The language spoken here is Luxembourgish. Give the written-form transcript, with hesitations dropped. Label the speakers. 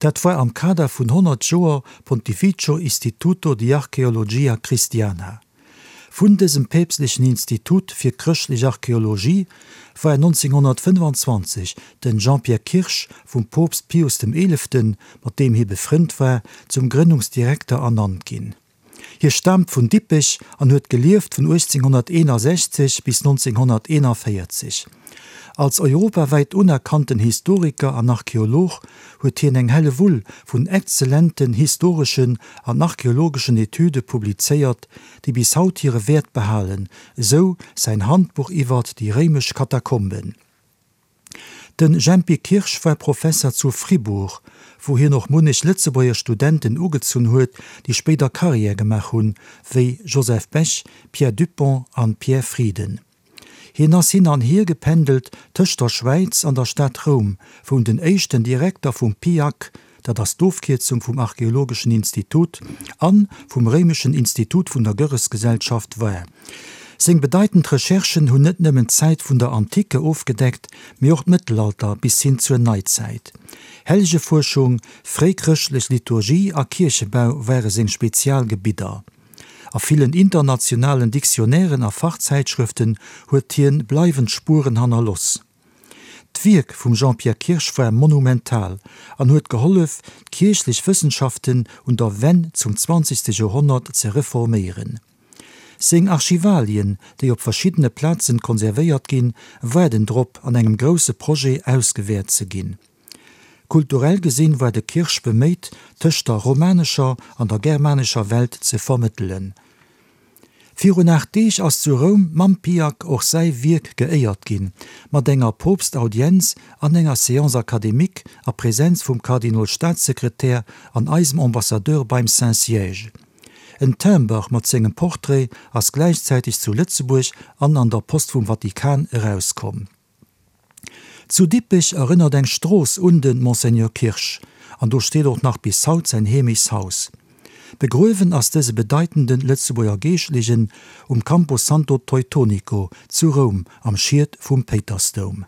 Speaker 1: Dat war am Kader vun 100 Joer Pontificio Istituto di Archeologia Cristiana. Vun dësem päpstlechen Institut fir chrëschtlech Archeologie war 1925 den Jean-Pierre Kirsch vum Poopst Pius dem Eeleften, mat deem hie befrënnt war, zum Grënnungsdirekter ernannt ginn. Hie staamt vun Dippech an huet gelieft vun 1861 bis 1941. Als europawäit unerkannten Historiker an Archeolog huet hien eng Hellewull vun exzellenten historeschen an archeologeschen Etüde publizéiert, déi bis haut hire Wäert behalen, esou säin Handbuch iwwert déi réimesch Katakomben. De Jempy Kirsch war Professer zu Fribourg, wou hien och munnech Lëtzebuerger Studenten ugezunn huet, déi spéider Carrière gemaach hunn, wéi Joseph Bech, Pierre Dupong an Pierre Frieden. Hien ass hin an hier gependelt tëscht der Schwäiz an der Stad Roum, wou en den éischten Direkter vum PIAC, dat ass d'Ofkierzung vum Archeologeschen Institut, a vum Réimeschen Institut vun der Görresgesellschaft war. Seng bedeitend Recherchen hunn net nëmmen d'Zäit vun der Antike ofgedeckt, mee och d'Mëttelalter bis hin zur Neizäit. Hellegefuerschung, fréichrëschtlech Liturgie a Kierchebau ware seng Spezialgebidder. A villen internationalen Dictionnairen a Fachzäitschrëften huet hien bleiwend Spueren hannerloss. D'Wierk vum Jean-Pierre Kirsch war monumental an huet gehollef, d'kierchlech Wëssenschaften un der Wenn zum zwanzegste Joerhonnert ze reforméieren. Seng Archivalien, déi op verschiddene Plazen konservéiert ginn, waarden drop, an engem grousse Projet ausgewäert ze ginn. Kulturell gesinn war de Kirsch beméit, tëscht der romanescher an der germanescher Welt ze vermëttelen. Virun 8 Deeg ass zu Roum mam Piac och säi Wierk geéiert ginn, mat enger Poopstaudienz an enger Séance académique a Präsenz vum Kardinol-Staatssekretär an eisem Ambassadeur beim Saint-Siège. En Timber mat sengem Portrait ass gläichzäiteg zu Lëtzebuerg an an der Post vum Vatikan erauskomm. Zu Dippech erënnert eng Strooss un de Monseigneur Kirsch, an do steet och nach bis haut säin Heemechtshaus. Begruewen ass dëse bedeitende Lëtzebuerger Geeschtlechen um Campo Santo Teutonico zu Roum am Schiet vum Péitersdoum.